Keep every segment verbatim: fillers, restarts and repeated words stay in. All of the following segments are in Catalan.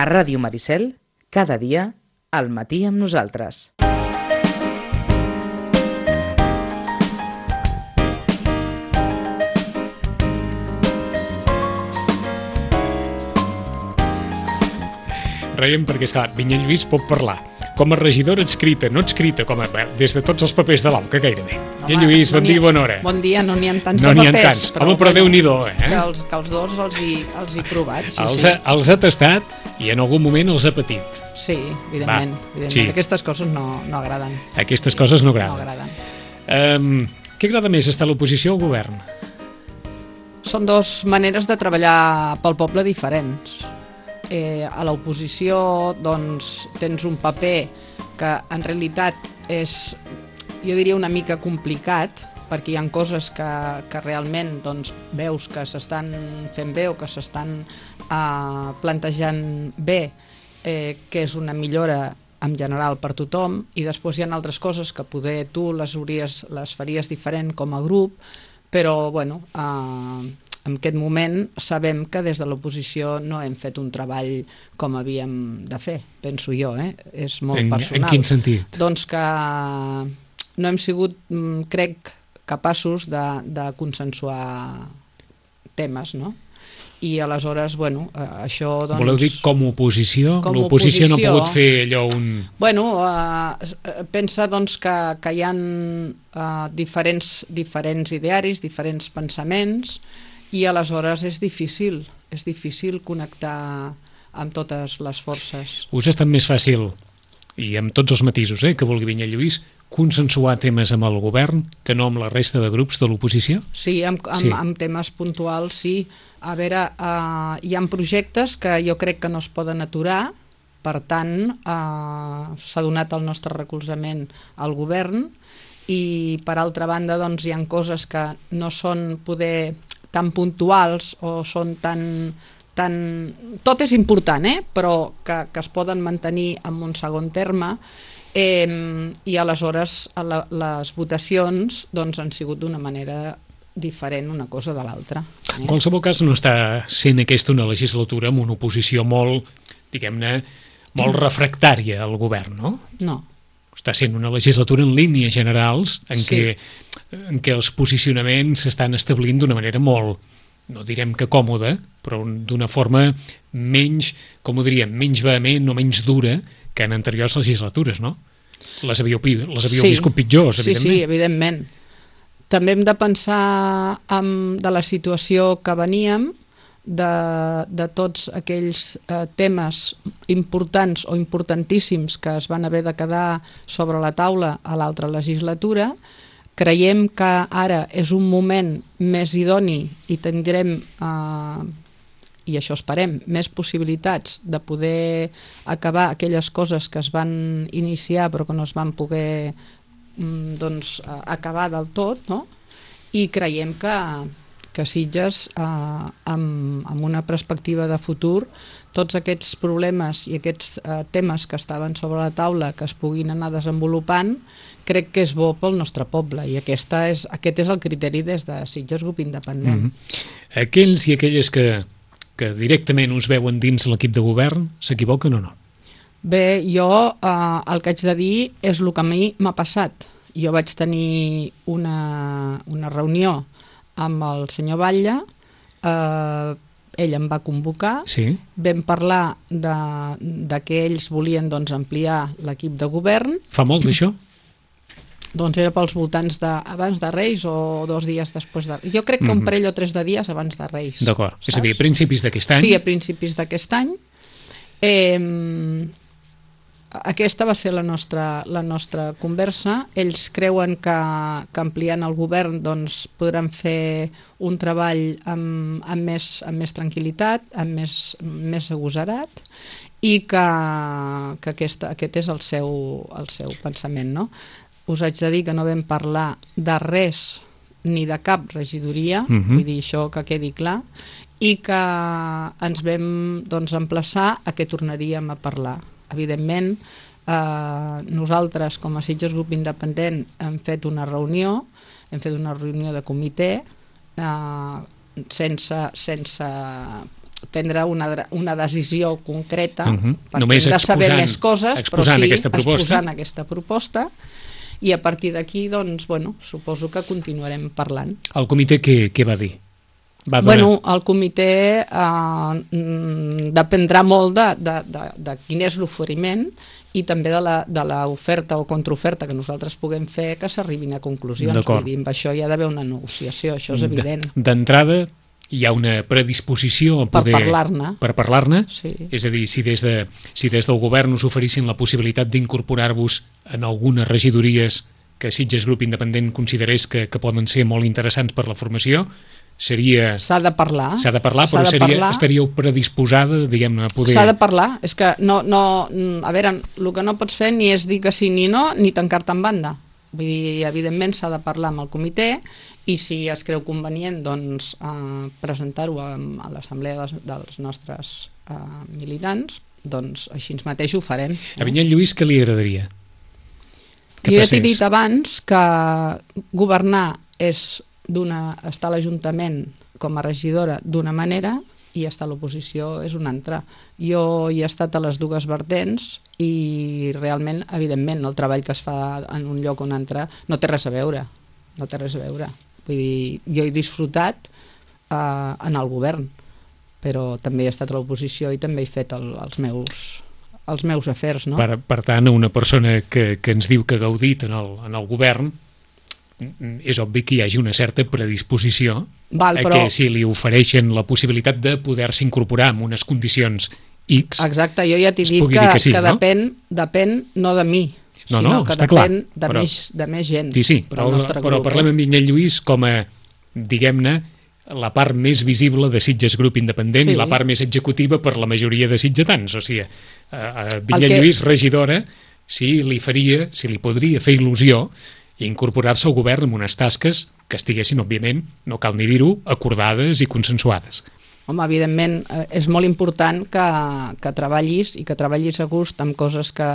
A Ràdio Maricel, cada dia, al matí amb nosaltres. Reiem perquè, esclar, Vinyet Lluís pot parlar com a regidora adscrita, no adscrita, com a, des de tots els papers de l'A U C A gairebé. Vinyet Lluís, bon dia i bona hora. Bon dia, no n'hi ha tants no de papers. papers. No n'hi ha tants, però, home, però bueno, Déu-n'hi-do, eh? Que els, que els dos els hi, els hi provat, sí, els, sí. Ha, els ha tastat i en algun moment els ha patit. Sí, evidentment. Va, evidentment. sí. Aquestes coses no, no agraden. Aquestes coses no agraden. No agraden. Um, què agrada més, estar a l'oposició o al govern? Són dues maneres de treballar pel poble diferents. Eh, a l'oposició doncs, tens un paper que en realitat és, jo diria, una mica complicat, perquè hi ha coses que, que realment doncs, veus que s'estan fent bé o que s'estan eh, plantejant bé, eh, que és una millora en general per tothom, i després hi ha altres coses que poder tu les, hauries, les faries diferent com a grup, però bueno, eh, en aquest moment sabem que des de l'oposició no hem fet un treball com havíem de fer, penso jo, eh? És molt en, personal. En quin sentit? Doncs que no hem sigut, crec, capaços de, de consensuar temes, no? I aleshores, bueno, això doncs... Voleu dir com a oposició? Com L'oposició no ha oposició, pogut fer allò un... Bueno, eh, pensa doncs que, que hi ha eh, diferents, diferents idearis, diferents pensaments, i aleshores és difícil, és difícil connectar amb totes les forces. Us ha estat més fàcil, i amb tots els matisos eh, que vulgui Vinyet Lluís, consensuar temes amb el govern que no amb la resta de grups de l'oposició? Sí, amb, amb, sí. amb temes puntuals, sí. A veure, eh, hi ha projectes que jo crec que no es poden aturar, per tant, eh, s'ha donat el nostre recolzament al govern, i per altra banda doncs, hi ha coses que no són poder tan puntuals o són tan... tan... Tot és important, eh? Però que, que es poden mantenir en un segon terme, eh, i aleshores la, les votacions doncs, han sigut d'una manera diferent una cosa de l'altra. Eh? En qualsevol cas no està sent aquesta una legislatura amb una oposició molt, diguem-ne, molt refractària al govern, no? No. Està sent una legislatura en línies generals en, sí. què, en què els posicionaments s'estan establint d'una manera molt, no direm que còmoda, però d'una forma menys, com ho diríem, menys vehement o menys dura que en anteriors legislatures, no? Les havíeu, les havíeu sí. viscut pitjors, sí, evidentment. Sí, sí, evidentment. També hem de pensar en, de la situació que veníem, de, de tots aquells eh, temes importants o importantíssims que es van haver de quedar sobre la taula a l'altra legislatura. Creiem que ara és un moment més idoni i tindrem, eh, i això esperem, més possibilitats de poder acabar aquelles coses que es van iniciar però que no es van poder mm, doncs, acabar del tot, no? I creiem que que Sitges, eh, amb, amb una perspectiva de futur, tots aquests problemes i aquests eh, temes que estaven sobre la taula que es puguin anar desenvolupant, crec que és bo pel nostre poble, i aquesta és, aquest és el criteri des de Sitges Grup Independent. Mm-hmm. Aquells i aquelles que, que directament us veuen dins l'equip de govern, s'equivoquen o no? Bé, jo eh, el que haig de dir és el que a mi m'ha passat. Jo vaig tenir una, una reunió amb el senyor Batlle, eh, ell em va convocar, sí. Vam parlar de, de que ells volien doncs, ampliar l'equip de govern. Fa molt d'això? Doncs era pels voltants de, abans de Reis o dos dies després de... Jo crec que un parell o tres de dies abans de Reis. D'acord, és a dir, a principis d'aquest any? Sí, a principis d'aquest any. Eh, Aquesta va ser la nostra, la nostra conversa. Ells creuen que, que ampliant el govern doncs, podran fer un treball amb, amb, més, amb més tranquil·litat, amb més, més agosarat, i que, que aquesta, aquest és el seu, el seu pensament, no? Us haig de dir que no vam parlar de res ni de cap regidoria, uh-huh. vull dir això que quedi clar, i que ens vam doncs, emplaçar a que tornaríem a parlar. Evidentment, eh, nosaltres com a Sitges Grup Independent hem fet una reunió, hem fet una reunió de comitè eh, sense, sense prendre una, una decisió concreta, uh -huh. perquè Només hem de saber exposant, més coses, exposant però sí, aquesta proposta. exposant aquesta proposta, i a partir d'aquí, doncs, bueno, suposo que continuarem parlant. El comitè què, què va dir? Va donar... Bueno, el comitè eh, dependrà molt de, de, de, de quin és l'oferiment i també de l'oferta o contraoferta que nosaltres puguem fer, que s'arribin a conclusions. Vull dir, amb això hi ha d'haver una negociació, això és evident. D'entrada, hi ha una predisposició a poder... Per parlar-ne. Per parlar-ne? Sí. És a dir, si des, de, si des del govern us oferissin la possibilitat d'incorporar-vos en algunes regidories que Sitges Grup Independent considerés que, que poden ser molt interessants per la formació, seria... S'ha de parlar. S'ha de parlar, però seria, parlar. estaríeu predisposada, diguem-ne, a poder... S'ha de parlar. És que no, no... A veure, el que no pots fer ni és dir que sí ni no, ni tancar-te en banda. Vull dir, evidentment s'ha de parlar amb el comitè i si es creu convenient, doncs, eh, presentar-ho a, a l'assemblea dels, dels nostres eh, militants, doncs així mateix ho farem. No? A Vinyet Lluís què li agradaria? Que jo ja t'he dit abans que governar és d'una, estar a l'Ajuntament com a regidora d'una manera i estar a l'oposició és una altra. Jo hi he estat a les dues vertents i realment, evidentment, el treball que es fa en un lloc o un altre no té res a veure. No té res a veure. Vull dir, jo he disfrutat eh, en el govern, però també he estat a l'oposició i també he fet el, els meus... els meus afers, no? Per, per tant, una persona que, que ens diu que ha gaudit en el, en el govern, és obvi que hi hagi una certa predisposició Val, però... a que si li ofereixen la possibilitat de poder-se incorporar en unes condicions X... Exacte, jo ja t'he dit que, que, sí, que no? depèn, depèn no de mi, no, sinó no, que està depèn clar, de, però... més, de més gent. Sí, sí, però, però grup, parlem eh? amb Vinyet Lluís com a, diguem-ne, la part més visible de Sitges Grup Independent sí. i la part més executiva per la majoria de sitgetans. O sigui, a, a Vinyet que... Lluís, regidora, si li faria, si li podria fer il·lusió incorporar-se al govern amb unes tasques que estiguessin, òbviament, no cal ni dir-ho, acordades i consensuades. Home, evidentment, és molt important que, que treballis i que treballis a gust amb coses que,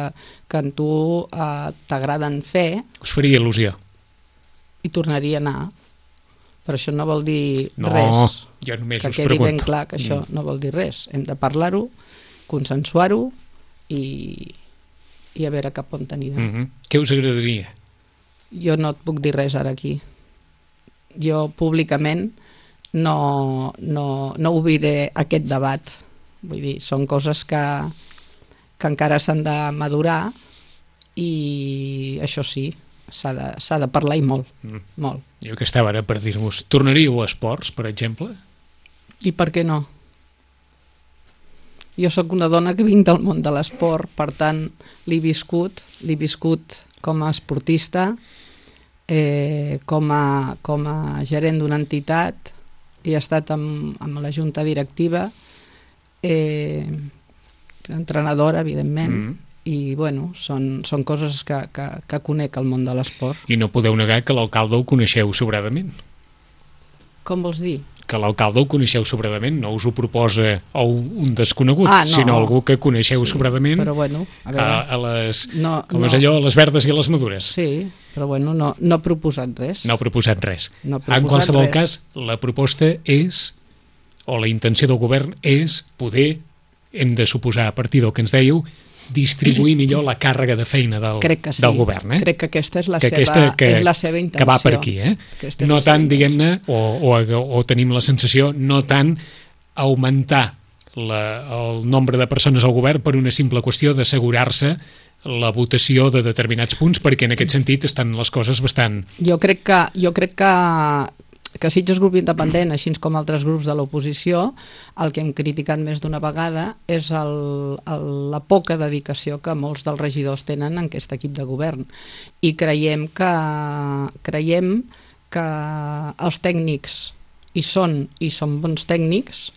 que en tu eh, t'agraden fer. Us faria il·lusió? I tornaria a anar. Però això no vol dir no, res. Jo només que us quedi pregunto. ben clar que això mm. no vol dir res. Hem de parlar-ho, consensuar-ho i, i a veure cap on anirà. Mm -hmm. Què us agradaria? Jo no et puc dir res ara aquí. Jo públicament no, no, no obriré aquest debat. Vull dir, són coses que, que encara s'han de madurar i això sí, s'ha de, s'ha de parlar i molt, mm. molt. Jo que estava ara per dir-vos, tornaríeu a esports, per exemple? I per què no? Jo sóc una dona que vinc del món de l'esport, per tant l'he viscut, l'he viscut com a esportista, eh, com, a, com a gerent d'una entitat, he estat amb, amb la junta directiva, eh, entrenadora, evidentment, mm. i bueno, són, són coses que, que, que conec al món de l'esport. I no podeu negar que l'alcalde ho coneixeu sobradament. Com vols dir? Que l'alcalde ho coneixeu sobradament, no us ho proposa o un desconegut, ah, no. sinó algú que coneixeu sí, sobradament però bueno, a, veure, a, a les, no, com no. és allò, a les verdes i a les madures. Sí, però bueno, no, no ha proposat res. No ha proposat res. No ha proposat en qualsevol res. cas, la proposta és, o la intenció del govern és poder, hem de suposar a partir del que ens dèieu, distribuir millor la càrrega de feina del, sí. del govern. Eh? Crec que aquesta és la, que seva, aquesta, que, és la seva intenció. Que va per aquí. Eh? No tant, diguem-ne, o, o, o tenim la sensació, no tant augmentar la, el nombre de persones al govern per una simple qüestió d'assegurar-se la votació de determinats punts, perquè en aquest sentit estan les coses bastant... Jo crec que, jo crec que, que Sitges Grup Independent, així com altres grups de l'oposició, el que hem criticat més d'una vegada és el, el, la poca dedicació que molts dels regidors tenen en aquest equip de govern. I creiem que, creiem que els tècnics hi són, i són bons tècnics,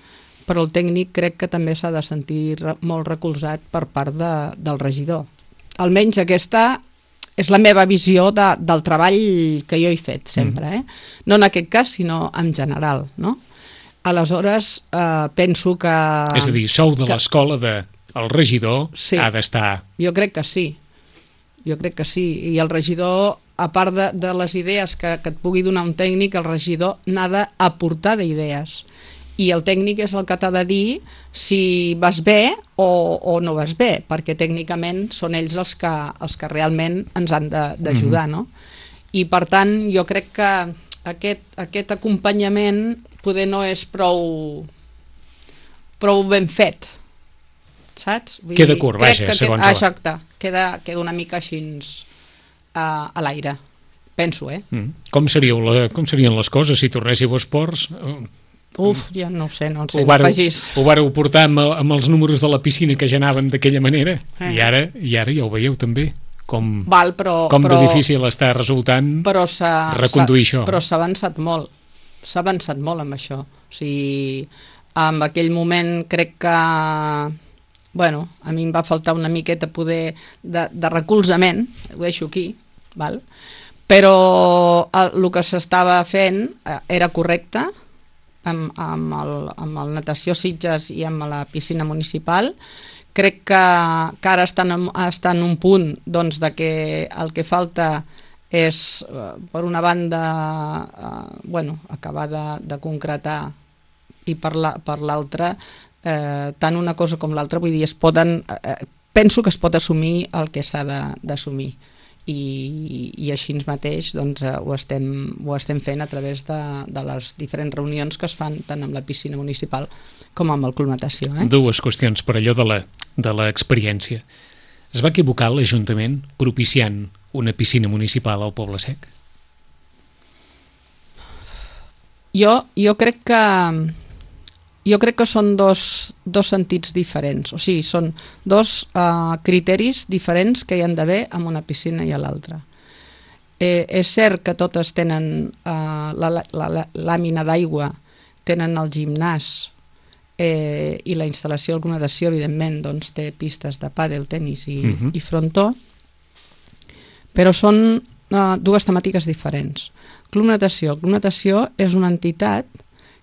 però el tècnic crec que també s'ha de sentir molt recolzat per part de, del regidor. Almenys aquesta és la meva visió de, del treball que jo he fet sempre, eh? No en aquest cas, sinó en general, no? Aleshores, eh, penso que... És a dir, sou de l'escola de el regidor sí, ha d'estar... Jo crec que sí, jo crec que sí, i el regidor, a part de, de les idees que, que et pugui donar un tècnic, el regidor n'ha d'aportar d'idees. i el tècnic és el que t'ha de dir si vas bé o, o no vas bé, perquè tècnicament són ells els que, els que realment ens han d'ajudar, no? I per tant jo crec que aquest, aquest acompanyament poder no és prou prou ben fet, saps? Vull queda dir, curt, crec vaja, que segons queda, la... exacte, queda, queda una mica així a, a l'aire, penso, eh? Mm. Com, seríeu la, com serien les coses si tornéssiu a esports? Uf, ja no ho sé, no sé, ho vareu, no facis... ho vareu portar amb, amb els números de la piscina que ja anaven d'aquella manera, eh. i, ara, i ara ja ho veieu també, com, Val, però, com però, de difícil està resultant però reconduir això. Però s'ha avançat molt, s'ha avançat molt amb això. O sigui, en aquell moment crec que, bueno, a mi em va faltar una miqueta poder de, de recolzament, ho deixo aquí, val? Però el, el que s'estava fent era correcte, amb, amb, el, amb el Natació Sitges i amb la piscina municipal. Crec que, que ara estan en, estan en un punt doncs, de que el que falta és, per una banda, eh, bueno, acabar de, de concretar, i per l'altra, la, eh, tant una cosa com l'altra, vull dir, es poden, eh, penso que es pot assumir el que s'ha d'assumir. I, i així mateix doncs, ho, estem, ho estem fent a través de, de les diferents reunions que es fan tant amb la piscina municipal com amb el Club Natació. Eh? Dues qüestions per allò de l'experiència. Es va equivocar l'Ajuntament propiciant una piscina municipal al Poble Sec? Jo, jo crec que jo crec que són dos, dos sentits diferents, o sigui, són dos uh, criteris diferents que hi han d'haver en una piscina i a l'altra. Eh, és cert que totes tenen uh, la, la, la, la làmina d'aigua, tenen el gimnàs eh, i la instal·lació de natació, evidentment, doncs, té pistes de pàdel, tenis i, uh-huh. i frontó, però són uh, dues temàtiques diferents. Club Natació. El Club Natació és una entitat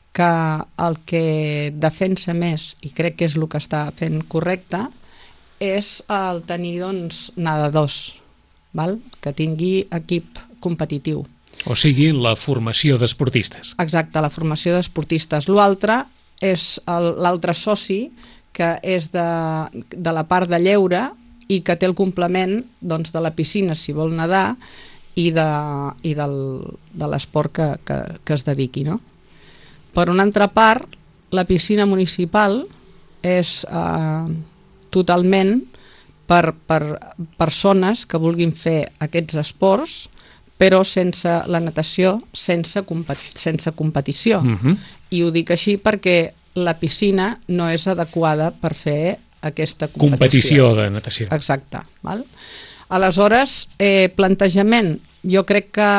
que el que defensa més, i crec que és el que està fent correcte, és el tenir doncs, nadadors, val? Que tingui equip competitiu. O sigui, la formació d'esportistes. Exacte, la formació d'esportistes. L'altre és l'altre soci, que és de, de la part de lleure i que té el complement doncs, de la piscina, si vol nedar, i de, i del, de l'esport que, que, que es dediqui, no? Per una altra part, la piscina municipal és eh, totalment per, per persones que vulguin fer aquests esports, però sense la natació, sense, compet sense competició. Uh-huh. I ho dic així perquè la piscina no és adequada per fer aquesta competició. Competició de natació. Exacte. Val? Aleshores, eh, plantejament, jo crec que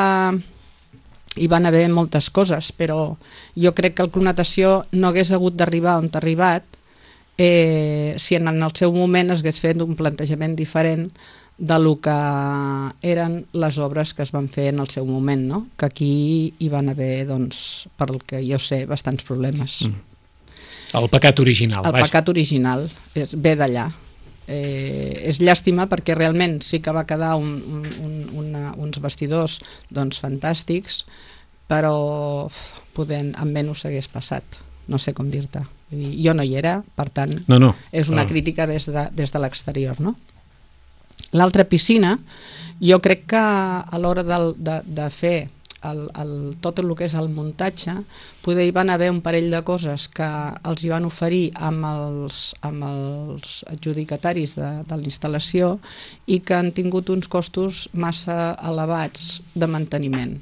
hi van haver moltes coses, però jo crec que el Club Natació no hagués hagut d'arribar on ha arribat eh, si en el seu moment es hagués fet un plantejament diferent de lo que eren les obres que es van fer en el seu moment, no? Que aquí hi van haver, doncs, per el que jo sé, bastants problemes. Mm. El pecat original. El vaja. pecat original és, ve d'allà. Eh, és llàstima perquè realment sí que va quedar un, un, una, uns vestidors doncs, fantàstics, però poder, amb menys s'hagués passat, no sé com dir-te. Jo no hi era, per tant, no, no. és una no. crítica des de, des de l'exterior, no? L'altra piscina, jo crec que a l'hora de, de, de fer el, el, tot el que és el muntatge, poder hi van haver un parell de coses que els hi van oferir amb els, amb els adjudicataris de, de la instal·lació i que han tingut uns costos massa elevats de manteniment.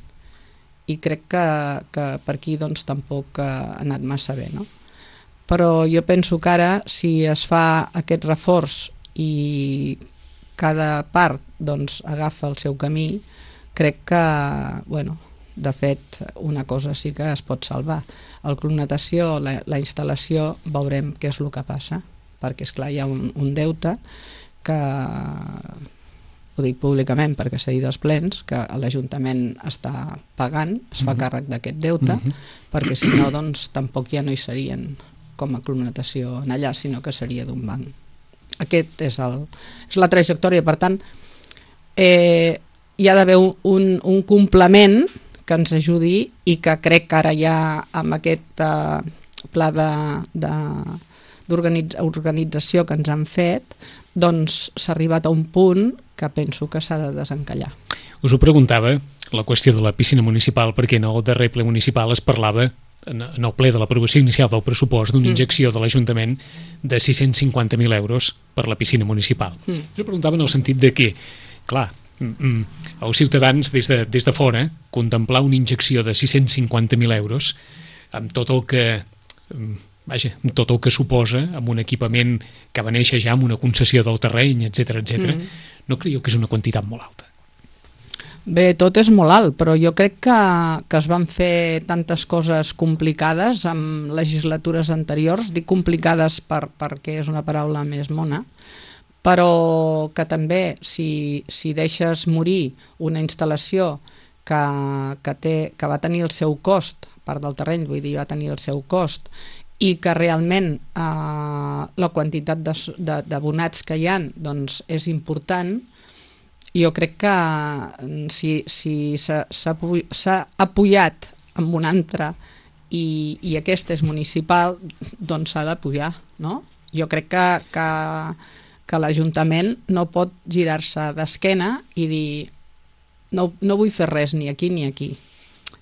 I crec que, que per aquí doncs, tampoc ha anat massa bé, no? Però jo penso que ara, si es fa aquest reforç i cada part doncs, agafa el seu camí, crec que, bueno, de fet, una cosa sí que es pot salvar. El Club Natació, la, la instal·lació, veurem què és el que passa, perquè, esclar, hi ha un, un deute que, ho dic públicament perquè s'ha dit als plens, que l'Ajuntament està pagant, es fa càrrec d'aquest deute, perquè si no, doncs, tampoc ja no hi serien com a Club Natació en allà, sinó que seria d'un banc. Aquest és, el, és la trajectòria, per tant, eh, hi ha d'haver un, un complement que ens ajudi i que crec que ara ja amb aquest, eh, pla d'organització que ens han fet, doncs s'ha arribat a un punt que penso que s'ha de desencallar. Us ho preguntava, la qüestió de la piscina municipal, perquè en el darrer ple municipal es parlava, en el ple de l'aprovació inicial del pressupost, d'una injecció de l'Ajuntament de sis-cents cinquanta mil euros per la piscina municipal. Mm. Us ho preguntava en el sentit de que, clar, els ciutadans des de, des de fora contemplar una injecció de sis-cents cinquanta mil euros amb tot el que vaja, amb tot el que suposa, amb un equipament que va néixer ja amb una concessió del terreny, etcètera, etcètera, mm. no creieu que és una quantitat molt alta? Bé, tot és molt alt, però jo crec que, que es van fer tantes coses complicades en legislatures anteriors, dic complicades per, perquè és una paraula més mona, però que també si, si deixes morir una instal·lació que, que, té, que va tenir el seu cost, part del terreny, vull dir, va tenir el seu cost, i que realment eh, la quantitat d'abonats que hi ha doncs, és important, jo crec que si, si s'ha apoyat amb un altre i, i aquest és municipal, doncs s'ha d'apoyar, no? Jo crec que, que, que l'Ajuntament no pot girar-se d'esquena i dir no, no vull fer res ni aquí ni aquí,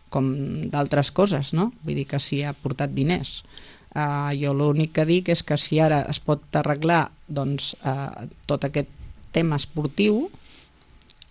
com d'altres coses, no? Vull dir que si ha portat diners. Uh, jo l'únic que dic és que si ara es pot arreglar doncs, uh, tot aquest tema esportiu,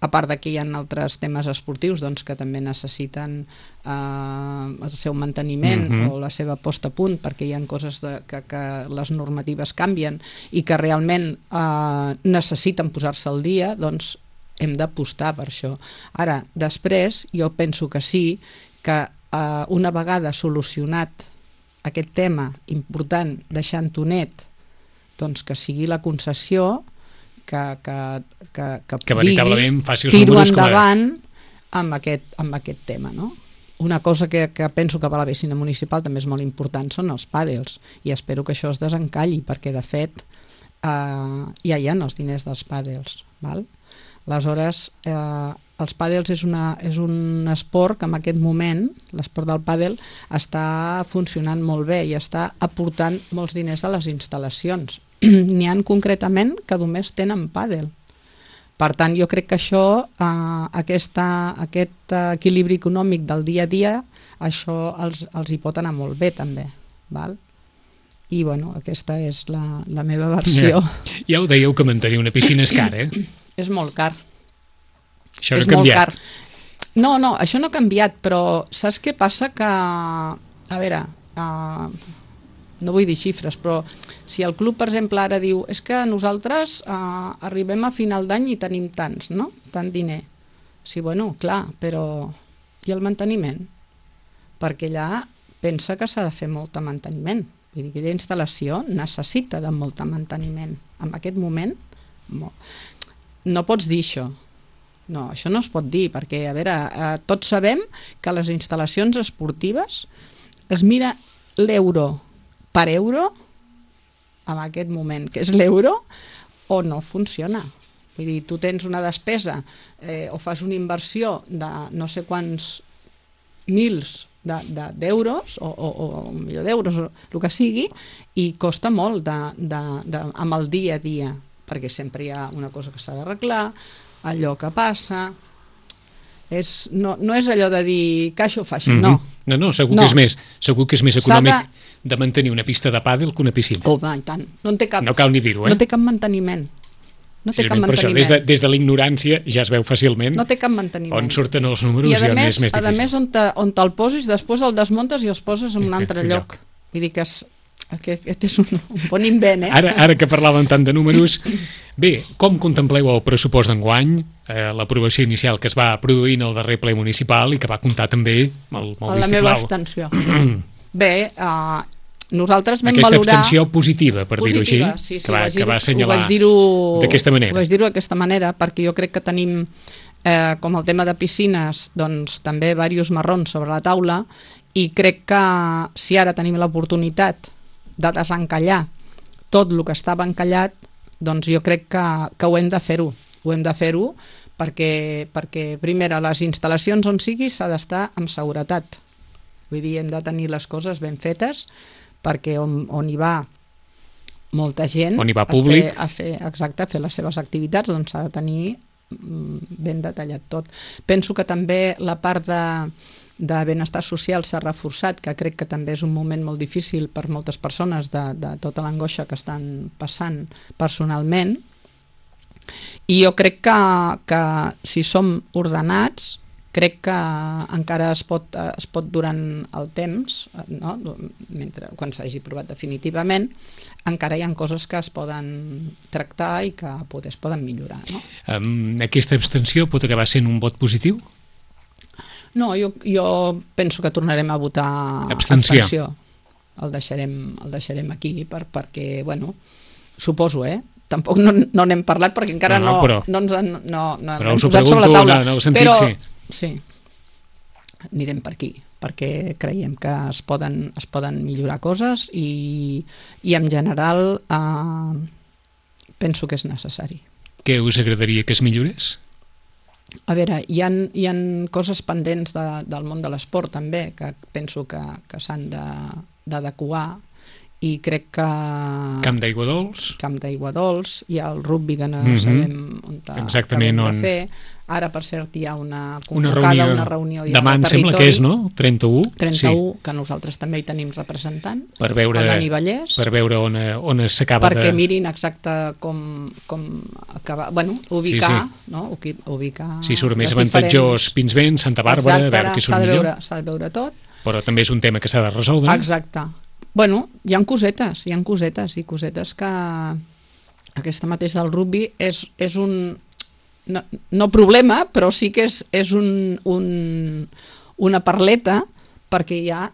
a part que hi ha altres temes esportius doncs, que també necessiten eh, el seu manteniment mm-hmm. o la seva posta a punt, perquè hi ha coses de, que, que les normatives canvien i que realment eh, necessiten posar-se al dia, doncs hem d'apostar per això. Ara, després, jo penso que sí, que eh, una vegada solucionat aquest tema important, deixant-ho net, doncs que sigui la concessió que, que, que, que, que veritablement faci els tiro números endavant a... amb, aquest, amb aquest tema, no? Una cosa que, que penso que per la piscina municipal també és molt important són els pàdels, i espero que això es desencalli, perquè de fet eh, ja hi ha els diners dels pàdels, val? Aleshores, eh, els pàdels és, una, és un esport que en aquest moment, l'esport del pàdel, està funcionant molt bé i està aportant molts diners a les instal·lacions. N'hi ha concretament que només tenen pàdel. Per tant, jo crec que això, eh, aquesta, aquest equilibri econòmic del dia a dia, això els, els hi pot anar molt bé també, val? I bueno, aquesta és la, la meva versió. Ja, ja ho dèieu que mantenir una piscina és car, eh? És molt car. Això no ha canviat. No, no, això no ha canviat, però saps què passa? Que, a veure, uh, no vull dir xifres, però si el club, per exemple, ara diu és que nosaltres uh, arribem a final d'any i tenim tants, no? Tant diner. Sí, bueno, clar, però i el manteniment? Perquè allà pensa que s'ha de fer molt de manteniment. Vull dir que aquella instal·lació necessita de molt de manteniment. En aquest moment, no pots dir això. No, això no es pot dir, perquè, a veure, eh, tots sabem que les instal·lacions esportives es mira l'euro per euro en aquest moment, que és l'euro, o no funciona. Vull dir, tu tens una despesa eh, o fas una inversió de no sé quants mils d'euros, de, de, o, o, o un milió d'euros, o el que sigui, i costa molt de, de, de, amb el dia a dia, perquè sempre hi ha una cosa que s'ha d'arreglar, allò que passa, és, no, no és allò de dir que això fa així, mm-hmm. no. No, no, segur, no. Que és més, segur que és més econòmic de... de mantenir una pista de pàdel que una piscina. Oh, va, i tant. No, en té cap, no cal ni dir-ho, eh? No té cap manteniment. No té cap manteniment. Això, des de, des de l'ignorància ja es veu fàcilment no té cap manteniment. On surten els números i, i a on més, és més difícil. a més, on, te, on te'l posis, després el desmuntes i els poses en un altre lloc. lloc. Vull dir que és... Aquest és un, un bon invent, eh? Ara, ara que parlàvem tant de números, bé, com contempleu el pressupost d'enguany, eh, l'aprovació inicial que es va produir en el darrer ple municipal i que va comptar també amb el, amb el la meva abstenció. Bé, eh, nosaltres vam aquesta valorar... Aquesta abstenció positiva, per dir-ho així, sí, sí, que, va, que va assenyalar d'aquesta manera. Ho vaig dir-ho d'aquesta manera perquè jo crec que tenim, eh, com el tema de piscines, doncs també diversos marrons sobre la taula, i crec que si ara tenim l'oportunitat de desencallar tot el que estava encallat, doncs jo crec que, que ho hem de fer-ho. Ho hem de fer-ho perquè, perquè, primera, les instal·lacions on sigui s'ha d'estar amb seguretat. Vull dir, hem de tenir les coses ben fetes perquè on, on hi va molta gent on hi va públic, a fer, a fer, exacte, a fer les seves activitats, doncs s'ha de tenir ben detallat tot. Penso que també la part de, de benestar social s'ha reforçat, que crec que també és un moment molt difícil per moltes persones de, de tota l'angoixa que estan passant personalment, i jo crec que, que si som ordenats, crec que encara es pot, es pot durant el temps, no? Mentre, quan s'hagi provat definitivament, encara hi ha coses que es poden tractar i que poder es poden millorar. No? Um, aquesta abstenció pot acabar sent un vot positiu? No, jo, jo penso que tornarem a votar abstenció. abstenció. El deixarem, el deixarem aquí per, perquè, bueno, suposo, eh? Tampoc no, no n'hem parlat perquè encara no, no, però, no ens han, no, no però hem us ho posat sobre la taula. No, no, sentit, però sí. sí, anirem per aquí, perquè creiem que es poden, es poden millorar coses i, i en general eh, penso que és necessari. Què us agradaria que es millorés? A veure, hi ha, hi ha coses pendents de, del món de l'esport també, que penso que, que s'han d'adequar, i crec que... Camp d'Aigua Dols? Camp d'Aigua Dols, hi ha el rugby que no mm -hmm. sabem on exactament on... de fer. Ara, per cert, hi ha una una convocada, reunió, una reunió ja demà em sembla que és, no? trenta-u? trenta-u, sí. Que nosaltres també hi tenim representant, per veure, el Dani Vallès, per veure on, on s'acaba de... perquè mirin exacte com, com acabar, bueno, ubicar, sí, sí. no? Ubicar si surt més les avantatjós diferents... Pinsbens, Santa Bàrbara, exacte, a veure què surt de millor. veure, s'ha de veure tot. Però també és un tema que s'ha de resoldre. Exacte. Bueno, hi ha cosetes, hi ha cosetes i cosetes que aquesta mateixa del rugby és, és un no, no problema, però sí que és, és un, un, una parleta, perquè hi ha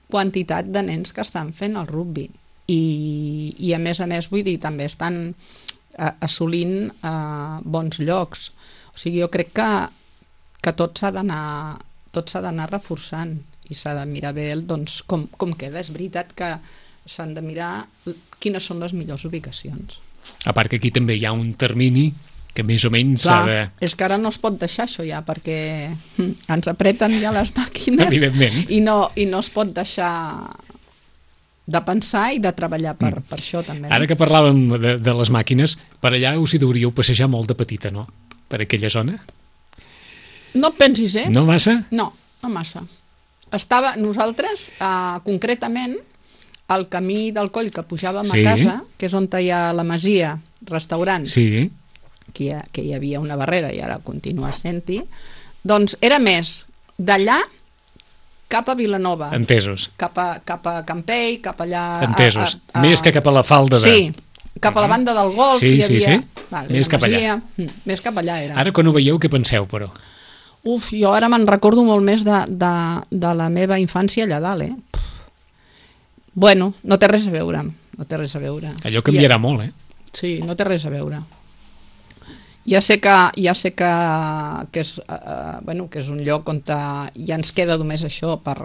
quantitat de nens que estan fent el rugby i, i a més a més vull dir, també estan eh, assolint eh, bons llocs. O sigui, jo crec que, que tot s'ha d'anar tot s'ha d'anar reforçant i s'ha de mirar bé el, doncs, com, com queda. És veritat que s'han de mirar quines són les millors ubicacions. A part que aquí també hi ha un termini que més o menys s'ha de... És que ara no es pot deixar això ja, perquè ens apreten ja les màquines evidentment. I, no, i no es pot deixar de pensar i de treballar per, mm. per això també. Ara que parlàvem de, de les màquines, per allà us hi deuríeu passejar molt de petita, no? Per aquella zona? No pensis, eh? No massa? No, no massa. Estava, nosaltres, eh, concretament, al camí del Coll que pujàvem sí. a casa, que és on hi ha la masia, restaurant, sí. que, hi ha, que hi havia una barrera i ara continua sent-hi, doncs era més d'allà cap a Vilanova. Entesos. Cap a, cap a Campell, cap allà... Entesos. A, a, a... Més que cap a la falda de... Sí, cap a la banda del golf. Sí, hi havia... sí, sí. Vale, més cap allà. Mm, més cap allà era. Ara quan ho veieu, què penseu, però? Uf, jo ara me'n recordo molt més de, de, de la meva infància allà dalt, eh? Bueno, no té res a veure, no té res a veure. Allò canviarà ja, molt, eh? Sí, no té res a veure. Ja sé que, ja sé que, que, és, uh, bueno, que és un lloc on ja ens queda només això per,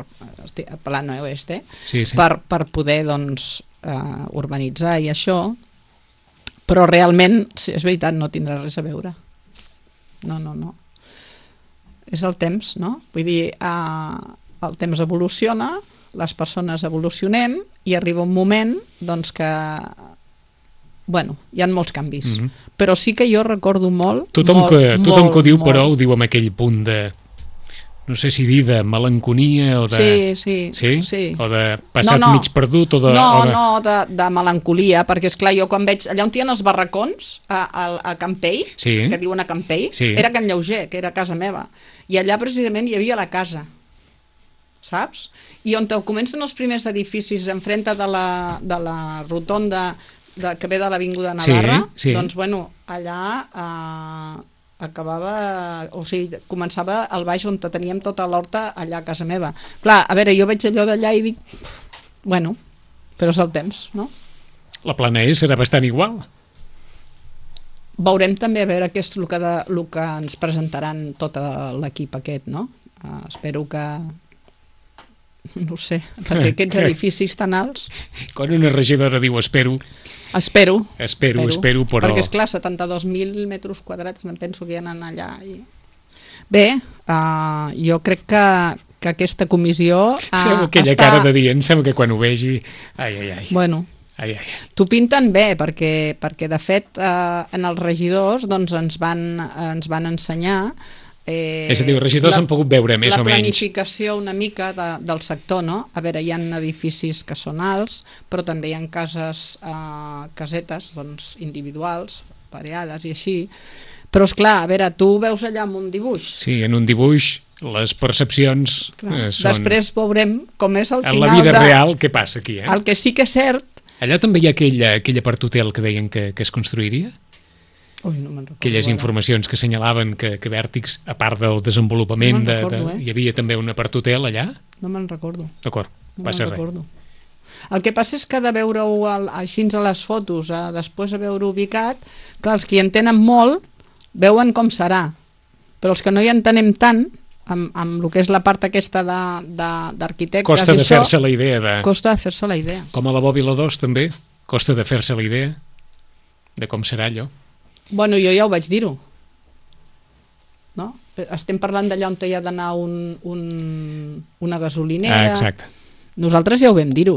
estic parlant a oeste, sí, sí. per, per poder doncs, uh, urbanitzar i això, però realment, sí, és veritat, no tindrà res a veure. No, no, no. És el temps, no? Vull dir, uh, el temps evoluciona, les persones evolucionem i arriba un moment doncs, que bueno, hi ha molts canvis, mm -hmm. però sí que jo recordo molt... Tothom, molt, que, tothom molt, que ho diu, molt. Però ho diu amb aquell punt de, no sé si dir de melanconia o de... Sí, sí. Sí? sí. O de passat no, no. mig perdut o de... No, o de... no, de, de melancolia, perquè és clar, jo quan veig... Allà on hi ha els barracons, a, a, a Campell, sí. que diuen a Campell, sí. era Can Lleuger, que era casa meva, i allà precisament hi havia la casa, saps? I on comencen els primers edificis enfrente de la, de la rotonda de, que ve de l'Avinguda Navarra, sí, sí. doncs bueno, allà eh, acabava, o sigui, començava el baix on teníem tota l'horta allà a casa meva. Clar, a veure, jo veig allò d'allà i dic, bueno, però és el temps, no? La plana E serà bastant igual. Veurem també a veure què és el que, de, el que ens presentaran tot l'equip aquest, no? Uh, espero que no sé, perquè aquests edificis tan alts... Quan una regidora diu espero... Espero. Espero, espero, espero però... Perquè, esclar, setanta-dos mil metres quadrats, em penso que hi ha allà. I... Bé, uh, jo crec que, que aquesta comissió... Ha, Fem aquella està... cara de dir, em sembla que quan ho vegi... Ai, ai, ai. Bueno, ai, ai. t'ho pinten bé, perquè, perquè de fet eh, en els regidors doncs, ens, van, ens van ensenyar... Eh, és a dir, els regidors la, han pogut veure més o menys. La planificació una mica de, del sector, no? A veure, hi ha edificis que són alts, però també hi ha cases, eh, casetes doncs, individuals, pareades i així. Però, és clar, a veure, tu veus allà amb un dibuix. Sí, en un dibuix les percepcions eh, són... Després veurem com és el en final la vida de... real què passa aquí, eh? El que sí que és cert... Allà també hi ha aquella, aquella part hotel que deien que, que es construiria? Ui, no me'n recordo. Aquelles ara. informacions que assenyalaven que, que Vèrtix, a part del desenvolupament, No me'n de, recordo, de, eh? hi havia també una part hotel allà? No me'n recordo. D'acord, No passa me'n res. recordo. El que passa és que de veure-ho al- així a les fotos, a després de veure ubicat, clar, els que hi entenen molt veuen com serà, però els que no hi entenem tant, amb, amb el que és la part aquesta d'arquitectes... Costa de això, fer-se la idea de... Costa de fer-se la idea. Com a la Bòbila dos també, costa de fer-se la idea de com serà allò. Bueno, jo ja ho vaig dir-ho. No? Estem parlant d'allà on hi ha d'anar un, un, una gasolinera... Ah, exacte. Nosaltres ja ho vam dir-ho.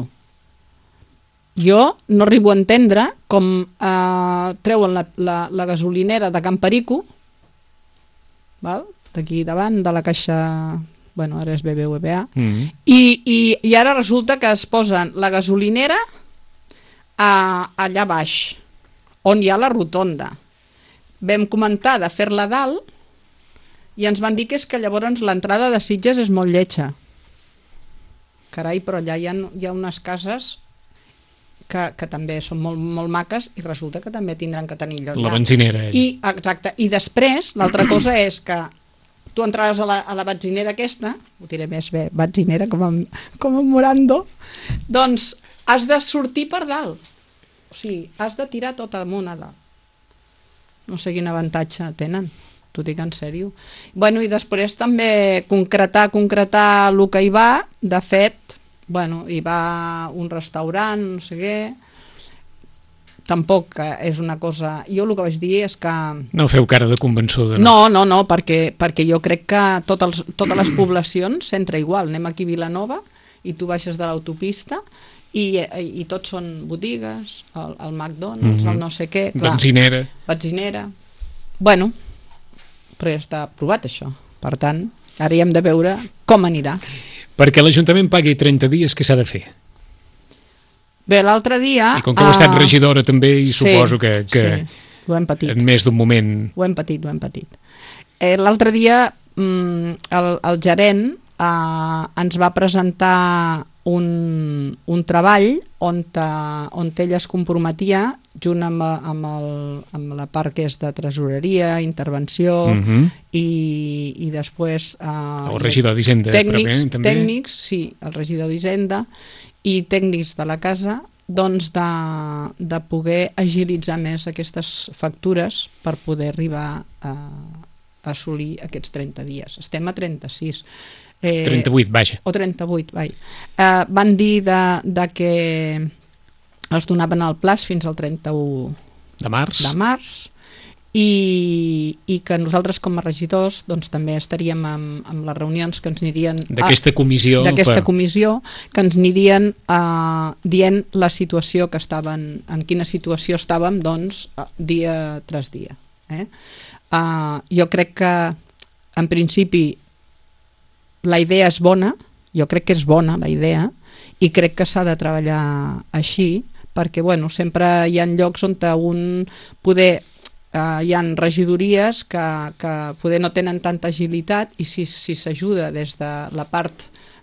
Jo no arribo a entendre com eh, treuen la, la, la gasolinera de Can Perico, val? D'aquí davant, de la caixa... Bueno, ara és B B V A. Mm -hmm. I, i, I ara resulta que es posen la gasolinera a, allà baix, on hi ha la rotonda. Vam comentar de fer-la dalt i ens van dir que és que llavors l'entrada de Sitges és molt lletja. Carai, però allà hi ha, hi ha unes cases que, que també són molt, molt maques i resulta que també tindran que tenir lloc. La benzinera. I, exacte. I després, l'altra cosa és que tu entraves a la, a la benzinera aquesta, ho diré més bé, benzinera com en, com en Morando, doncs has de sortir per dalt. O sigui, has de tirar tot amunt a dalt. No sé quin avantatge tenen, t'ho dic en sèrio. Bueno, i després també concretar, concretar el que hi va, de fet, bueno, hi va un restaurant, no sé què, tampoc és una cosa... Jo el que vaig dir és que... No feu cara de convençuda, no? No, no, no, perquè, perquè jo crec que tot els, totes les poblacions s'entra igual. Anem aquí a Vilanova i tu baixes de l'autopista i, i, i tots són botigues, el, el McDonald's, mm -hmm. el no sé què... Clar, benzinera. Benzinera. Bueno, però ja està aprovat això. Per tant, ara hi hem de veure com anirà. Perquè l'Ajuntament pagui trenta dies, què s'ha de fer? Bé, l'altre dia... I com que heu estat regidora també, i sí, suposo que, que sí, ho hem patit. en més d'un moment... Ho hem patit, ho hem patit. Eh, l'altre dia mm, el, el gerent eh, ens va presentar un, un treball on, te, on ell es comprometia junt amb, amb, el, amb la part que és de tresoreria, intervenció mm -hmm. i, i després eh, el regidor d'Hisenda tècnics, també. tècnics, sí, el regidor d'Hisenda i tècnics de la casa, doncs de, de poder agilitzar més aquestes factures per poder arribar a, a assolir aquests trenta dies. Estem a trenta-sis. Eh, trenta-vuit, vaja. O trenta-vuit, vai. Eh, van dir de, de que els donaven el plaç fins al trenta-u de març, de març i, i que nosaltres com a regidors doncs, també estaríem amb, amb les reunions que ens anirien... D'aquesta comissió. D'aquesta per... comissió, que ens anirien eh, dient la situació que estaven, en quina situació estàvem, doncs, dia tras dia. Eh? Eh, jo crec que, en principi, la idea és bona, jo crec que és bona la idea, i crec que s'ha de treballar així, perquè bueno, sempre hi ha llocs on un poder, eh, hi ha regidories que, que poder no tenen tanta agilitat i si si s'ajuda des de la part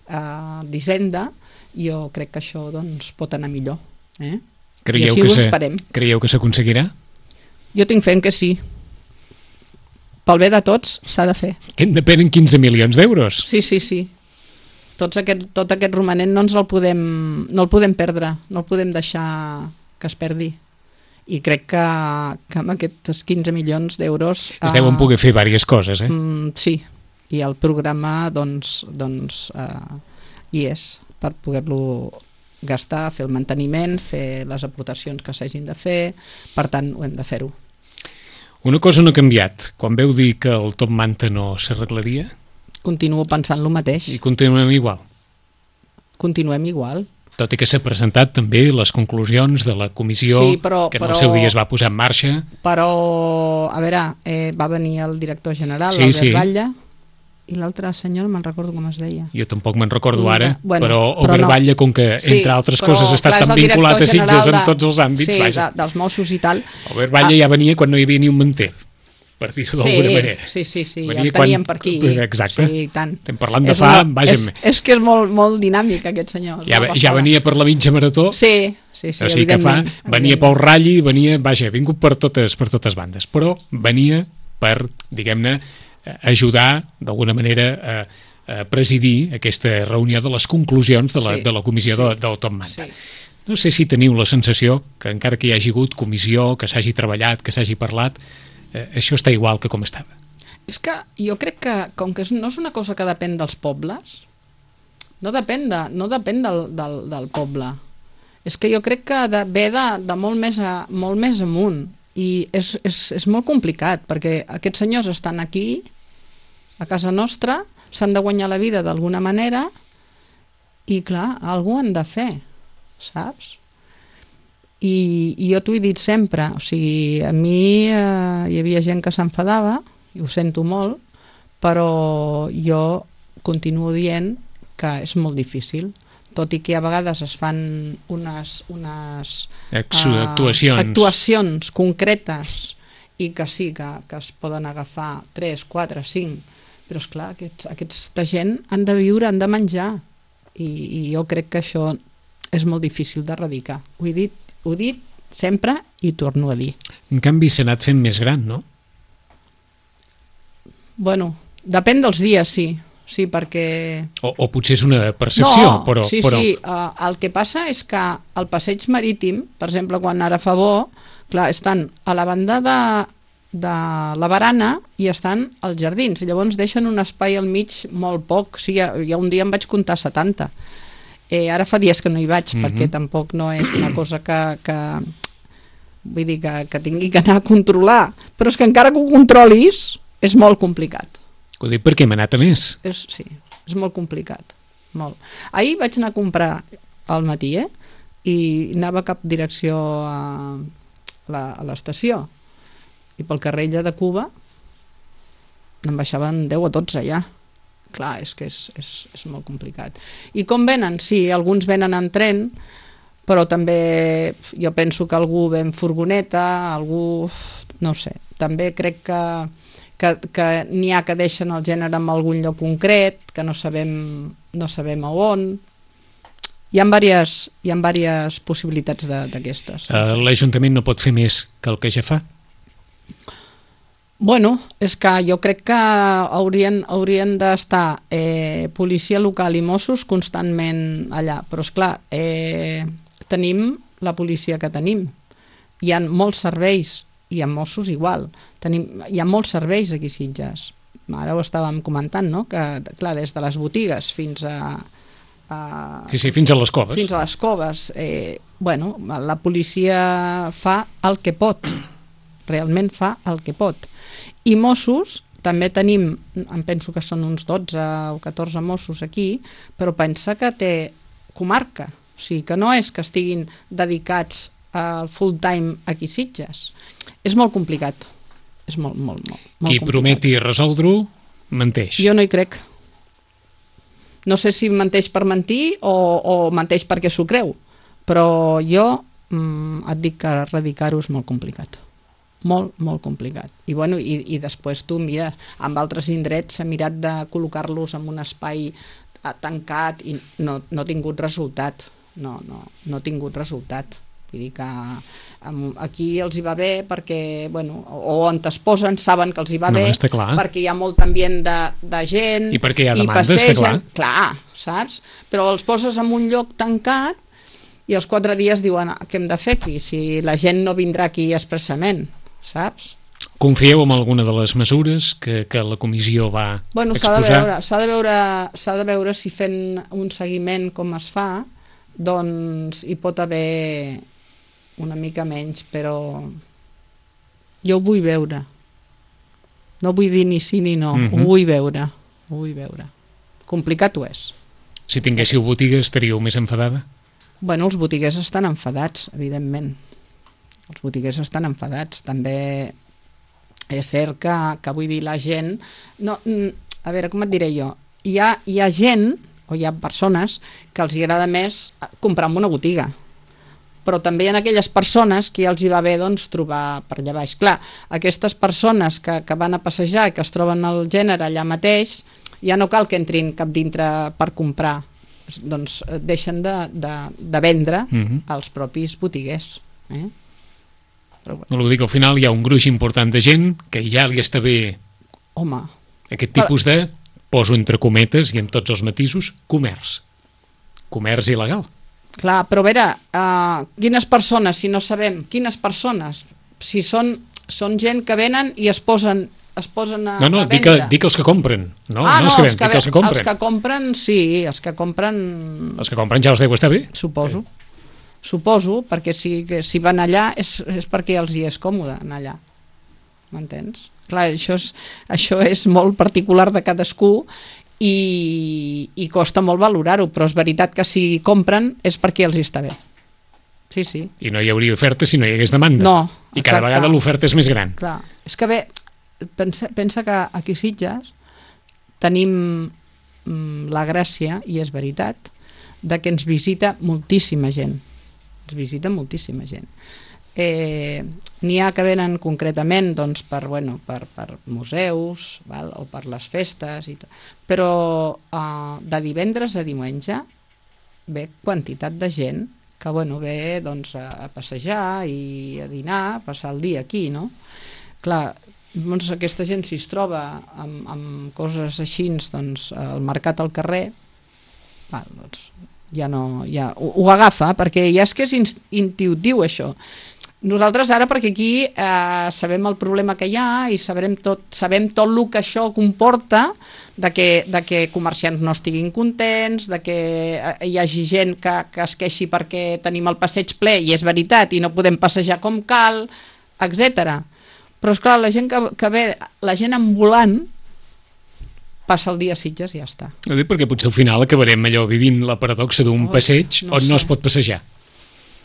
eh, d'Hisenda, jo crec que això doncs, pot anar millor. Eh? Creieu I així que ho se, esperem. Creieu que s'aconseguirà? Jo tinc fe en que sí. Pel bé de tots s'ha de fer. Que en depenen quinze milions d'euros. Sí, sí, sí. Tots aquest, tot aquest romanent no ens el podem, no el podem perdre, no el podem deixar que es perdi. I crec que, que amb aquests quinze milions d'euros... Es deuen poder fer diverses coses, eh? Mm, sí, i el programa doncs, doncs eh, hi és per poder-lo gastar, fer el manteniment, fer les aportacions que s'hagin de fer, per tant ho hem de fer-ho. Una cosa no ha canviat. Quan veu dir que el top manta no s'arreglaria, Continuo pensant el mateix. I continuem igual. Continuem igual. Tot i que s'ha presentat també les conclusions de la comissió Sí, però- que en però- el seu dia es va posar en marxa. Però, a veure, eh, va venir el director general, Sí, l'Albert sí. Batlle, i l'altre senyor, no me'n recordo com es deia. Jo tampoc me'n recordo Mira, ara, bueno, però però Albert no. Batlle, com que, Sí, entre altres però, coses, ha estat clar, és tan el director vinculat a Sitges general en de- tots els àmbits, sí, vaja. de, dels Mossos i tal. Albert Batlle ja venia quan no hi havia ni un manter, per dir-ho d'alguna sí, manera. Sí, sí, sí, ja Venia el teníem quan- per aquí. Exacte. Sí, i tant. Estem parlant de És fa, molt- vaja, És, és que és molt, molt dinàmic, aquest senyor. és ja, una ja passada. venia per la mitja marató, Sí, sí, sí, o sigui que fa, evidentment, venia evidentment. pel ratll, venia, vaja, ha vingut per totes, per totes bandes, però venia per, diguem-ne, eh, ajudar d'alguna manera a, a presidir aquesta reunió de les conclusions de la, Sí, de la comissió sí, de, del Top Manta. sí. No sé si teniu la sensació que encara que hi hagi hagut comissió, que s'hagi treballat, que s'hagi parlat, eh, això està igual que com estava. És que jo crec que, com que és- no és una cosa que depèn dels pobles, no depèn, de, no depèn del, del, del poble. És que jo crec que de, ve de, de molt, més a, molt més amunt. I és, és, és molt complicat, perquè aquests senyors estan aquí, a casa nostra, s'han de guanyar la vida d'alguna manera, i clar, algú han de fer, saps? I, i jo t'ho he dit sempre, o sigui, a mi eh, hi havia gent que s'enfadava, i ho sento molt, però jo continuo dient que és molt difícil, tot i que a vegades es fan unes, unes Ex- eh, actuacions. actuacions concretes i que sí, que, que es poden agafar tres, quatre, cinc, però esclar, aquests, aquesta gent han de viure, han de menjar, i, i jo crec que això és molt difícil d'erradicar. Ho he dit, ho he dit sempre i torno a dir. En canvi, s'ha anat fent més gran, no? Bueno, depèn dels dies, sí. Sí, perquè... O, o potser és una percepció, no, però... sí, però... sí. Uh, el que passa és que al passeig marítim, per exemple, quan ara fa bo, clar, estan a la banda de, de la barana i estan als jardins. I llavors deixen un espai al mig molt poc. O sigui, ja, ja un dia em vaig comptar setanta. Eh, ara fa dies que no hi vaig, mm-hmm. perquè tampoc no és una cosa que... que vull dir que, que tingui que anar a controlar. Però és que encara que ho controlis, és molt complicat. Ho dic perquè hem anat a més. És, sí, és molt complicat. Molt. Ahir vaig anar a comprar al matí, eh? I anava cap direcció a, la, a l'estació. I pel carrer Illa de Cuba em baixaven deu a dotze ja. Clar, és que és, és, és molt complicat. I com venen? Sí, alguns venen en tren, però també jo penso que algú ve en furgoneta, algú... no sé. També crec que que, que n'hi ha que deixen el gènere en algun lloc concret, que no sabem, no sabem a on. Hi ha diverses, hi ha diverses possibilitats d'aquestes. Uh, L'Ajuntament no pot fer més que el que ja fa? Bueno, és que jo crec que haurien, haurien d'estar eh, policia local i Mossos constantment allà, però esclar, eh, tenim la policia que tenim. Hi ha molts serveis, i a Mossos igual. Tenim, hi ha molts serveis aquí a Sitges. Ara ho estàvem comentant, no? Que, clar, des de les botigues fins a... a sí, sí, fins a les coves. Fins a les coves. Eh, bueno, la policia fa el que pot. Realment fa el que pot. I Mossos, també tenim, em penso que són uns dotze o catorze Mossos aquí, però pensa que té comarca. O sigui, que no és que estiguin dedicats al full time aquí a Sitges. És molt complicat. És molt, molt, molt, molt Qui complicat. prometi resoldre-ho, menteix. Jo no hi crec. No sé si menteix per mentir o, o menteix perquè s'ho creu, però jo mm, et dic que erradicar-ho és molt complicat. Molt, molt complicat. I, bueno, i, i després tu mires, amb altres indrets s'ha mirat de col·locar-los en un espai tancat i no, no ha tingut resultat. No, no, no ha tingut resultat. Vull dir que aquí els hi va bé perquè, bueno, o on es posen saben que els hi va no, bé, perquè hi ha molt ambient de, de gent i perquè hi ha demanda, i passegen, està clar. clar, saps? Però els poses en un lloc tancat i els quatre dies diuen què hem de fer aquí, si la gent no vindrà aquí expressament, saps? Confieu en alguna de les mesures que, que la comissió va bueno, exposar? S'ha de veure, s'ha de veure, s'ha de veure si fent un seguiment com es fa, doncs hi pot haver una mica menys, però jo ho vull veure. No vull dir ni sí ni no, mm-hmm. Ho vull veure. Vull veure. Complicat ho és. Si tinguéssiu botiga estaríeu més enfadada? Bueno, els botiguers estan enfadats, evidentment. Els botiguers estan enfadats. També és cert que, que vull dir, la gent... No, a veure, com et diré jo? Hi ha, hi ha gent, o hi ha persones, que els agrada més comprar en una botiga. Però també hi ha aquelles persones que ja els hi va bé doncs, trobar per allà baix. Clar, aquestes persones que, que van a passejar i que es troben el gènere allà mateix, ja no cal que entrin cap dintre per comprar. Doncs deixen de, de, de vendre uh-huh. als propis botiguers. Eh? Però, bueno. No vull dir que al final hi ha un gruix important de gent que ja li està bé Home. aquest tipus de, poso entre cometes i amb tots els matisos, comerç. Comerç il·legal. Clar, però a veure, uh, quines persones, si no sabem, quines persones? Si són, són gent que venen i es posen es posen a, no, no, a dic, vendre. dic els que compren. No, ah, no, els no, que, els que, dic els que compren. Els que compren, sí, els que compren... Els que compren ja els deu estar bé. Suposo. Eh. Suposo, perquè si, que, si van allà és, és perquè els hi és còmode anar allà. M'entens? Clar, això és, això és molt particular de cadascú i, i costa molt valorar-ho, però és veritat que si compren és perquè els hi està bé. Sí, sí. I no hi hauria oferta si no hi hagués demanda. No, I cada exacte. vegada l'oferta és més gran. Clar, és que bé, pensa, pensa que aquí a Sitges tenim mm, la gràcia, i és veritat, de que ens visita moltíssima gent. Ens visita moltíssima gent. Eh, n'hi ha que venen concretament doncs, per, bueno, per, per museus, val? O per les festes, i tot. Però eh, de divendres a diumenge ve quantitat de gent que bueno, ve doncs, a passejar i a dinar, a passar el dia aquí, no? Clar, doncs, aquesta gent si es troba amb, amb coses així, doncs, al mercat al carrer, val, doncs, ja no, ja, ho, ho agafa, perquè ja és que és intuitiu això. Nosaltres ara, perquè aquí eh, sabem el problema que hi ha i sabem tot, sabem tot el que això comporta, de que, de que comerciants no estiguin contents, de que hi hagi gent que, que es queixi perquè tenim el passeig ple i és veritat i no podem passejar com cal, etcètera. Però esclar, la gent que, que ve, la gent ambulant passa el dia a Sitges i ja està. No dic perquè potser al final acabarem allò vivint la paradoxa d'un Ui, passeig no on sé. no es pot passejar.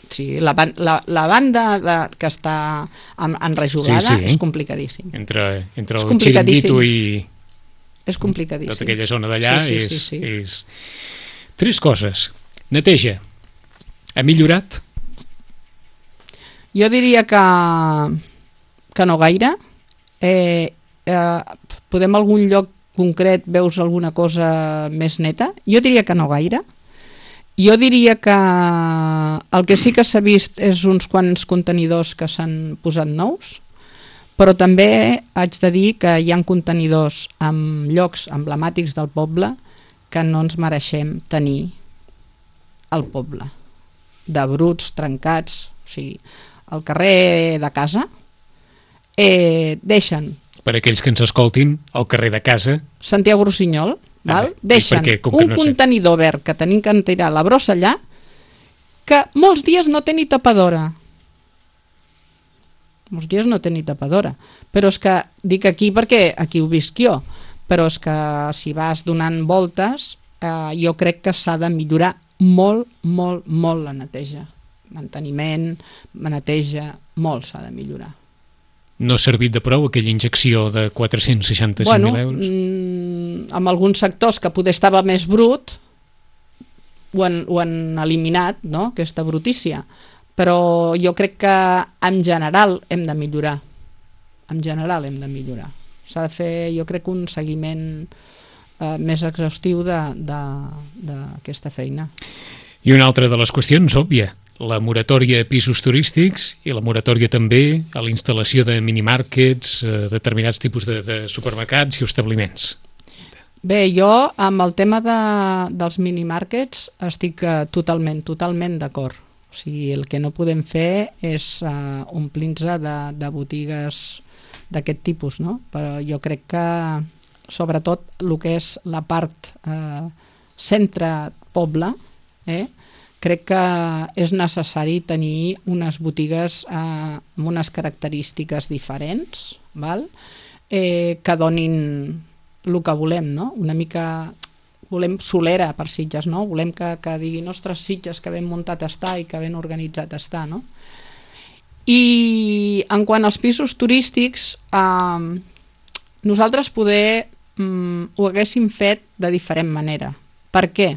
Sí, la, la, la banda de, que està en, enrejolada Sí, sí. és complicadíssim. Entre, entre És el complicadíssim. xiringuito i És complicadíssim. tota aquella zona d'allà Sí, sí, és, sí, sí. és... Tres coses. Neteja. Ha millorat? Jo diria que, que no gaire. Eh, eh, podem algun lloc concret veus alguna cosa més neta? Jo diria que no gaire. Jo diria que el que sí que s'ha vist és uns quants contenidors que s'han posat nous, però també haig de dir que hi ha contenidors en llocs emblemàtics del poble que no ens mereixem tenir al poble. De bruts, trencats, o sigui, al carrer de casa eh, deixen... Per aquells que ens escoltin, al carrer de casa... Santiago Rossinyol, val? Ah, deixen perquè, com que un no sé. contenidor verd que tenim que tirar la brossa allà que molts dies no té ni tapadora. Molts dies no té ni tapadora. Però és que, dic aquí perquè aquí ho visc jo, però és que si vas donant voltes, eh, jo crec que s'ha de millorar molt, molt, molt la neteja. Manteniment, neteja, molt s'ha de millorar. No ha servit de prou aquella injecció de quatre-cents seixanta-cinc mil bueno, euros? Mm, en alguns sectors que poder estava més brut ho han, ho han eliminat, no?, aquesta brutícia, però jo crec que en general hem de millorar, en general hem de millorar. S'ha de fer, jo crec, un seguiment eh, més exhaustiu d'aquesta feina. I una altra de les qüestions, òbvia, la moratòria a pisos turístics i la moratòria també a la instal·lació de minimàrquets, eh, determinats tipus de, de supermercats i establiments. Bé, jo amb el tema de, dels minimàrquets estic eh, totalment, totalment d'acord. O sigui, el que no podem fer és eh, omplir-nos de, de botigues d'aquest tipus, no? Però jo crec que, sobretot, el que és la part eh, centre-poble, eh, crec que és necessari tenir unes botigues eh, amb unes característiques diferents, val? Eh, que donin el que volem, no? Una mica... Volem solera per Sitges, no? Volem que, que diguin, ostres, Sitges, que ben muntat està i que ben organitzat està, no? I en quant als pisos turístics, eh, nosaltres poder mm, ho haguéssim fet de diferent manera. Per què?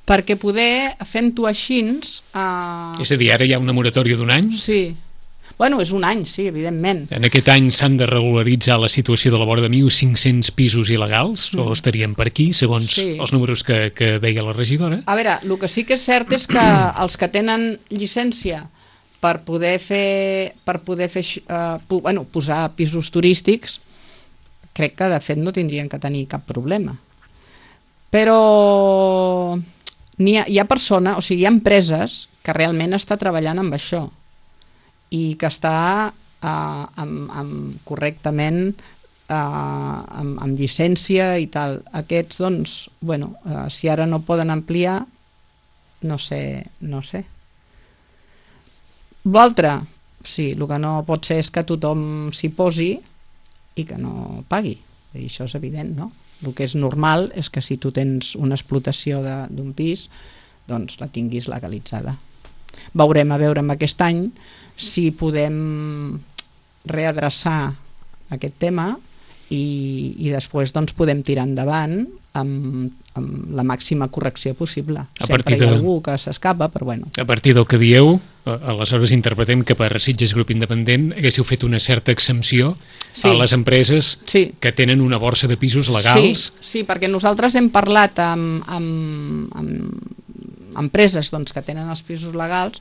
Perquè poder, fent-ho així... Eh... És a dir, ara hi ha una moratòria d'un any? Sí. Bueno, és un any, sí, evidentment. En aquest any s'han de regularitzar la situació de la vora de mil cinc-cents pisos il·legals, mm. o estaríem per aquí, segons sí. els números que, que deia la regidora? A veure, el que sí que és cert és que els que tenen llicència per poder fer, per poder fer uh, pu, bueno, posar pisos turístics, crec que de fet no tindrien que tenir cap problema. Però hi ha, hi ha persones, o sigui, hi ha empreses que realment està treballant amb això i que està uh, amb, amb, correctament uh, amb, amb llicència i tal. Aquests, doncs, bueno, uh, si ara no poden ampliar, no sé, no sé. L'altre, sí, el que no pot ser és que tothom s'hi posi i que no pagui. I això és evident, no? El que és normal és que si tu tens una explotació d'un pis, doncs la tinguis legalitzada. Veurem a veure amb aquest any si podem readreçar aquest tema i, i després doncs, podem tirar endavant amb, amb la màxima correcció possible. A Sempre hi ha de... algú que s'escapa, però bueno. A partir del que dieu, aleshores interpretem que per Sitges Grup Independent haguéssiu fet una certa exempció sí. a les empreses sí. que tenen una borsa de pisos legals. Sí, sí, perquè nosaltres hem parlat amb... amb, amb empreses doncs, que tenen els pisos legals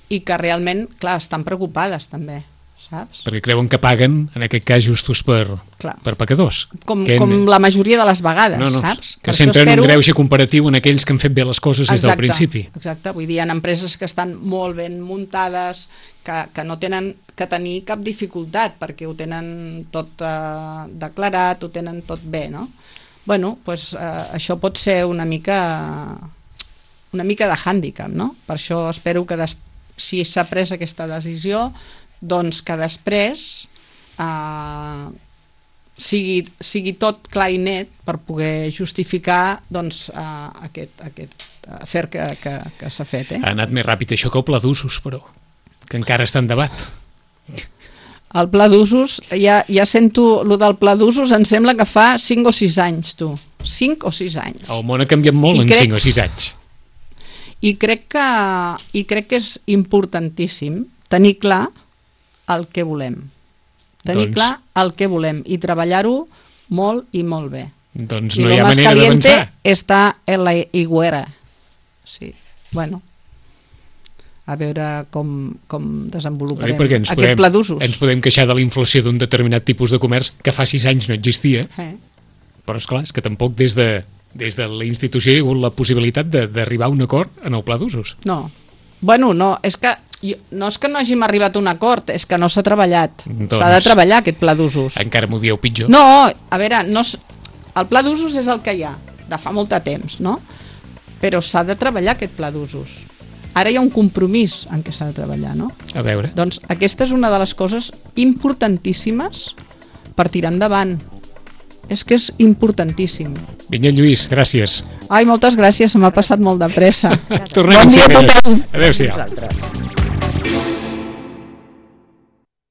i que realment, clar, estan preocupades també, saps? Perquè creuen que paguen, en aquest cas, justos per, per pecadors. Com, que com en... la majoria de les vegades, no, no, saps? Que sempre espero... un greuge comparatiu en aquells que han fet bé les coses exacte, des del principi. Exacte, vull dir, hi ha empreses que estan molt ben muntades, que, que no tenen que tenir cap dificultat perquè ho tenen tot eh, declarat, ho tenen tot bé, no? Bueno, doncs eh, això pot ser una mica... una mica de hàndicap, no? Per això espero que des... si s'ha pres aquesta decisió, doncs que després eh, sigui, sigui tot clar i net per poder justificar doncs, eh, aquest, aquest afer que, que, que s'ha fet. Eh? Ha anat més ràpid això que el pla d'usos, però, que encara està en debat. El pla d'usos, ja, ja sento, el del pla d'usos em sembla que fa cinc o sis anys, tu. cinc o sis anys. El món ha canviat molt I en crec... cinc o sis anys. I crec que, i crec que és importantíssim tenir clar el que volem. Tenir doncs... clar el que volem i treballar-ho molt i molt bé. Doncs no hi ha manera d'avançar. Està en la higuera. Sí, bueno, a veure com, com desenvoluparem Oi, aquest podem, pla d'usos. Ens podem queixar de la inflació d'un determinat tipus de comerç que fa sis anys no existia, eh. però esclar, és que tampoc des de des de la institució hi ha hagut la possibilitat d'arribar a un acord en el pla d'usos. No, bueno, no, és que jo, no és que no hàgim arribat a un acord, és que no s'ha treballat. Doncs, s'ha de treballar aquest pla d'usos. Encara m'ho dieu pitjor. No, a veure, no, el pla d'usos és el que hi ha, de fa molt de temps, no? Però s'ha de treballar aquest pla d'usos. Ara hi ha un compromís en què s'ha de treballar, no? A veure. Doncs aquesta és una de les coses importantíssimes per tirar endavant. És que és importantíssim. Vinyet Lluís, gràcies. Ai, moltes gràcies, se m'ha passat molt de pressa. Tornem bon dia a tothom. Adéu-siau.